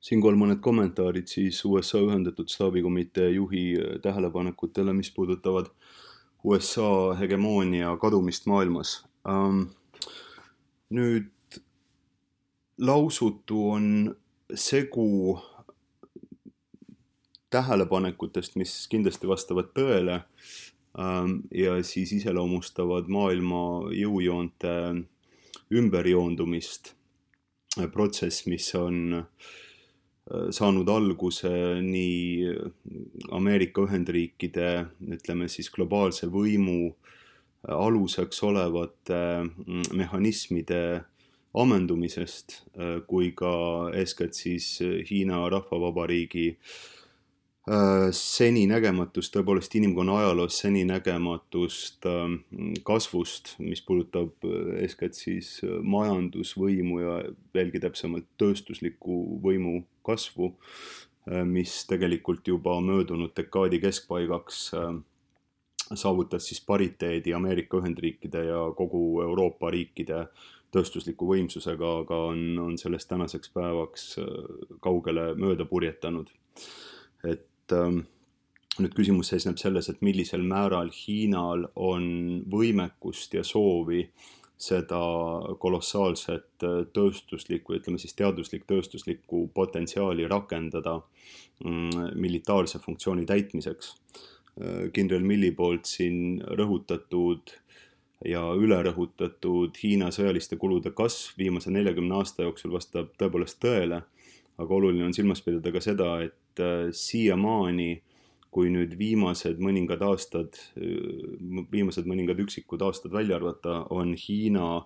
Siinkohal mõned kommentaarid siis USA Ühendatud Staabikomitee juhi tähelepanekutele, mis puudutavad USA hegemoonia kadumist maailmas. Nüüd lausutu on segu tähelepanekutest, mis kindlasti vastavad tõele ja siis iseloomustavad maailma jõujoonte ümberjoondumist. Protsess, mis on saanud alguse nii Ameerika Ühendriikide, ütleme siis globaalse võimu aluseks olevate mehhanismide ammendumisest kui ka eeskätt siis Hiina Rahvavabariigi seninägematust, tõepoolest inimkonna ajaloos seninägematust kasvust, mis puudutab eeskätt siis majandusvõimu ja veelgi täpsemalt tööstusliku võimu kasvu, mis tegelikult juba möödunud dekaadi keskpaigaks saavutas siis pariteedi Ameerika Ühendriikide ja kogu Euroopa riikide tööstusliku võimsusega, aga on sellest tänaseks päevaks kaugele mööda purjetanud. Et nüüd küsimus seisneb selles, et millisel määral Hiinal on võimekust ja soovi seda kolossaalset tööstuslikku, ütleme siis teaduslik tööstuslikku potentsiaali rakendada militaarse funktsiooni täitmiseks. Kindral Milli poolt siin rõhutatud ja ülerõhutatud Hiina sõjaliste kulude kasv viimase 40 aasta jooksul vastab tõepoolest tõele, aga oluline on silmas pidada ka seda, et siiamaani, kui nüüd viimased mõningad üksikud aastad välja arvata, on Hiina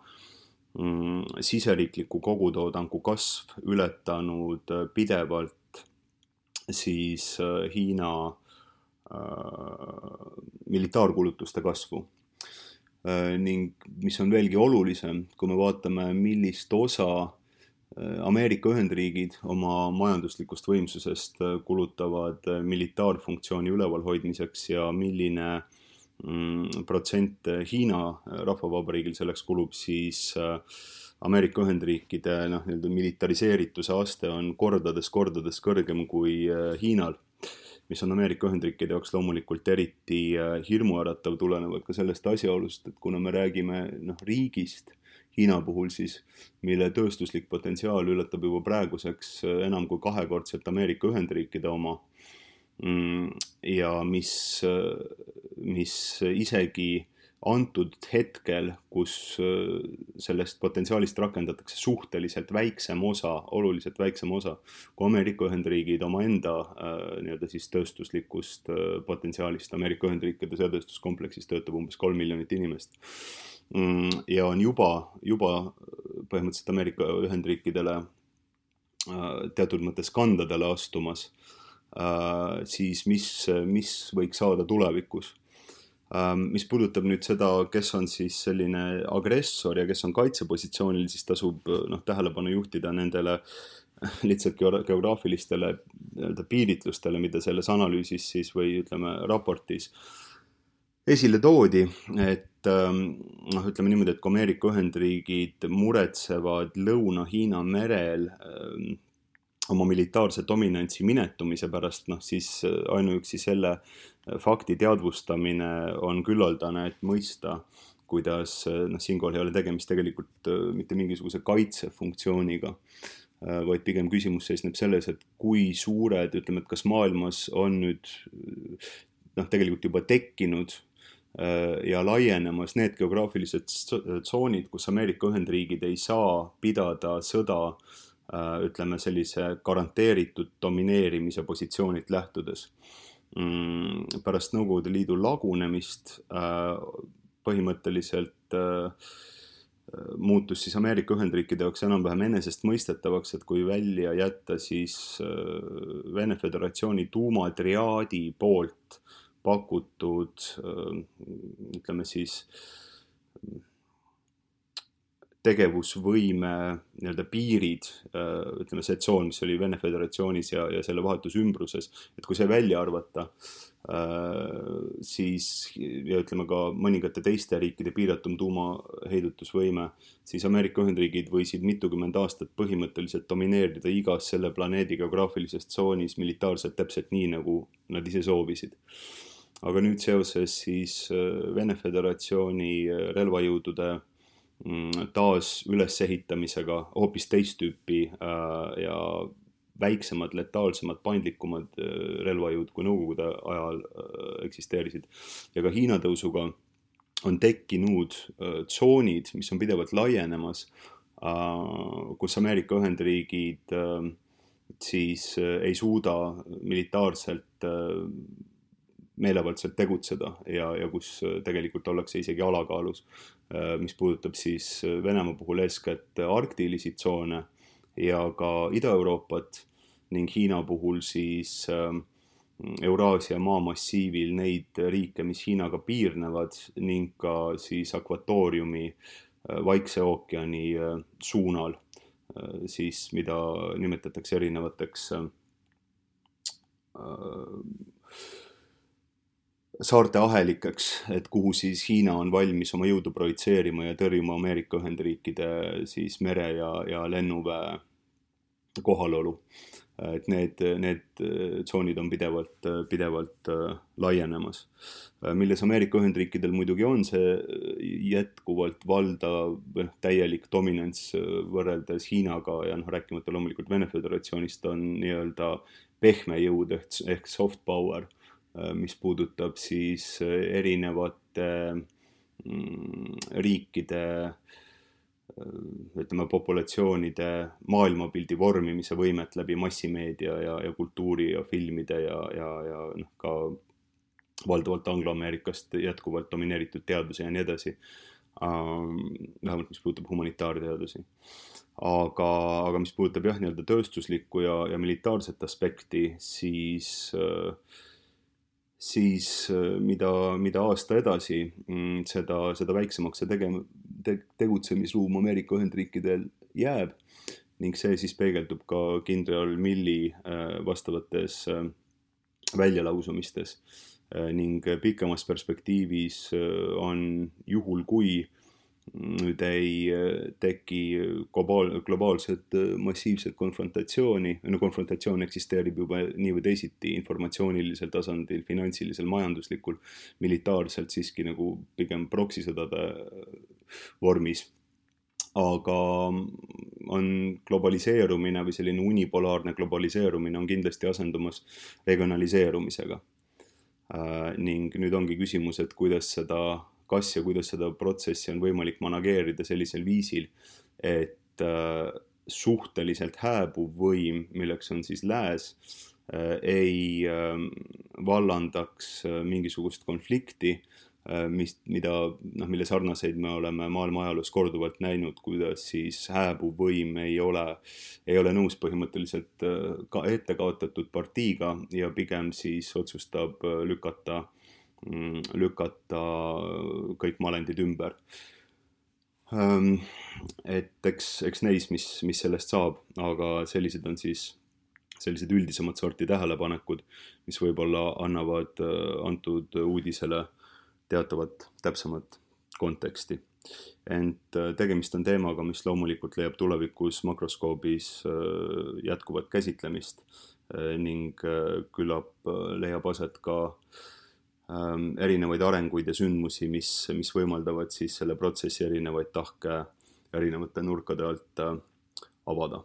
siseriikliku kogutoodangu kasv ületanud pidevalt siis Hiina militaarkulutuste kasvu. Ning mis on veelgi olulisem, kui me vaatame, millist osa Ameerika Ühendriigid oma majanduslikust võimsusest kulutavad militaarfunktsiooni ülevalhoidmiseks ja milline protsent Hiina Rahvavabariigil selleks kulub, siis Ameerika Ühendriikide militariseerituse aste on kordades kõrgem kui Hiinal, mis on Ameerika Ühendriikide jaoks loomulikult eriti hirmuäratav, tulenevalt ka sellest asjaolust, et kuna me räägime riigist, Hiina puhul siis, mille tööstuslik potentsiaal ületab juba praeguseks enam kui 2-kordselt Ameerika Ühendriikide oma ja mis isegi antud hetkel, kus sellest potentsiaalist rakendatakse suhteliselt väiksem osa, oluliselt väiksem osa, kui Ameerika Ühendriigid omaenda siis tööstuslikust potentsiaalist. Ameerika Ühendriikide sõjatööstuskompleksis töötab umbes 3 miljonit inimest. Ja on juba põhimõtteliselt Ameerika Ühendriikidele teatud mõttes kandadele astumas, siis mis võiks saada tulevikus. Mis puudutab nüüd seda, kes on siis selline agressor ja kes on kaitsepositsioonil, siis tasub tähelepanu juhtida nendele lihtsalt geograafilistele piiritlustele, mida selles analüüsis siis või ütleme raportis esile toodi, et ütleme niimoodi, et kui Ameerika Ühendriigid muretsevad Lõuna-Hiina merel oma militaarse dominantsi minetumise pärast, siis ainuüksi selle fakti teadvustamine on küllaldane, et mõista, kuidas siinkohal ei ole tegemist tegelikult mitte mingisuguse kaitsefunktsiooniga, vaid pigem küsimus seisneb selles, et kui suured, ütleme, et kas maailmas on nüüd tegelikult juba tekkinud ja laienemas need geograafilised tsoonid, kus Ameerika Ühendriigid ei saa pidada sõda, ütleme sellise garanteeritud domineerimise positsioonilt lähtudes. Pärast Nõukogude Liidu lagunemist põhimõtteliselt muutus siis Ameerika Ühendriikide jaoks enam-vähem enesestmõistetavaks, et kui välja jätta siis Vene Föderatsiooni tuumatriaadi poolt pakutud, ütleme siis tegevusvõime nii-öelda piirid, ütleme see tsoon, mis oli Vene Föderatsioonis ja selle vahetus ümbruses, et kui see välja arvata, siis ja ütleme ka mõningate teiste riikide piiratum tuumaheidutusvõime, siis Ameerika Ühendriigid võisid mitukümmend aastat põhimõtteliselt domineerida igas selle planeedi geograafilises tsoonis militaarselt täpselt nii, nagu nad ise soovisid. Aga nüüd seoses siis Vene Föderatsiooni relvajõudude taas ülesehitamisega hoopis teist tüüpi ja väiksemad, letaalsemad, paindlikumad relvajõud kui Nõukogude ajal eksisteerisid. Ja ka Hiina tõusuga on tekkinud tsoonid, mis on pidevalt laienemas, kus Ameerika Ühendriigid siis ei suuda militaarselt meelevaldselt tegutseda ja kus tegelikult ollakse isegi alakaalus, mis puudutab siis Venemaa puhul eeskätt arktilisi tsoone ja ka Ida-Euroopat ning Hiina puhul siis Euraasia maamassiivil neid riike, mis Hiinaga piirnevad ning ka siis akvatooriumi Vaikse ookeani suunal, siis mida nimetatakse erinevateks saarte ahelikeks, et kuhu siis Hiina on valmis oma jõudu projitseerima ja tõrjuma Ameerika Ühendriikide siis mere ja lennuväe kohalolu. Et need tsoonid on pidevalt laienemas. Milles Ameerika Ühendriikidel muidugi on see jätkuvalt valdav täielik dominants võrreldes Hiinaga ja rääkimata loomulikult Vene Föderatsioonist on nii-öelda pehme jõud ehk soft power, mis puudutab siis erinevate riikide, ütleme, populatsioonide maailmapildi vormimise võimet läbi massimeedia ja kultuuri ja filmide ja ka valdavalt Anglo-Ameerikast jätkuvalt domineeritud teaduse ja nii edasi. Vähemalt mis puudutab humanitaarteadusi. Aga mis puudutab nii-öelda tööstuslikku ja militaarset aspekti, siis mida aasta edasi, seda väiksemaks see tegutsemisruum Ameerika Ühendriikidel jääb ning see siis peegeldub ka kindral Milli vastavates väljalausumistes ning pikemas perspektiivis on juhul, kui nüüd ei teki globaalset massiivset konfrontatsiooni, konfrontatsioon eksisteerib juba nii või teisiti informatsioonilisel tasandil, finantsilisel, majanduslikul, militaarselt siiski nagu pigem proksisõdade vormis. Aga on globaliseerumine või selline unipolaarne globaliseerumine on kindlasti asendumas regionaliseerumisega. Ning nüüd ongi küsimus, et kuidas seda protsessi on võimalik manageerida sellisel viisil, et suhteliselt hääbuv võim, milleks on siis lääs, ei vallandaks mingisugust konflikti, mille sarnaseid me oleme maailma ajaloos korduvalt näinud, kuidas siis hääbuv võim ei ole nõus põhimõtteliselt ka ette kaotatud partiiga ja pigem siis otsustab lükata kõik malendid ümber. Et eks neis, mis sellest saab, aga sellised on siis sellised üldisemad sorti tähelepanekud, mis võib-olla annavad antud uudisele teatavat täpsemat konteksti. Ent tegemist on teemaga, mis loomulikult leiab tulevikus makroskoobis jätkuvat käsitlemist ning küllap leiab aset ka erinevaid arenguid ja sündmusi, mis võimaldavad siis selle protsessi erinevaid tahke erinevate nurkade alt avada.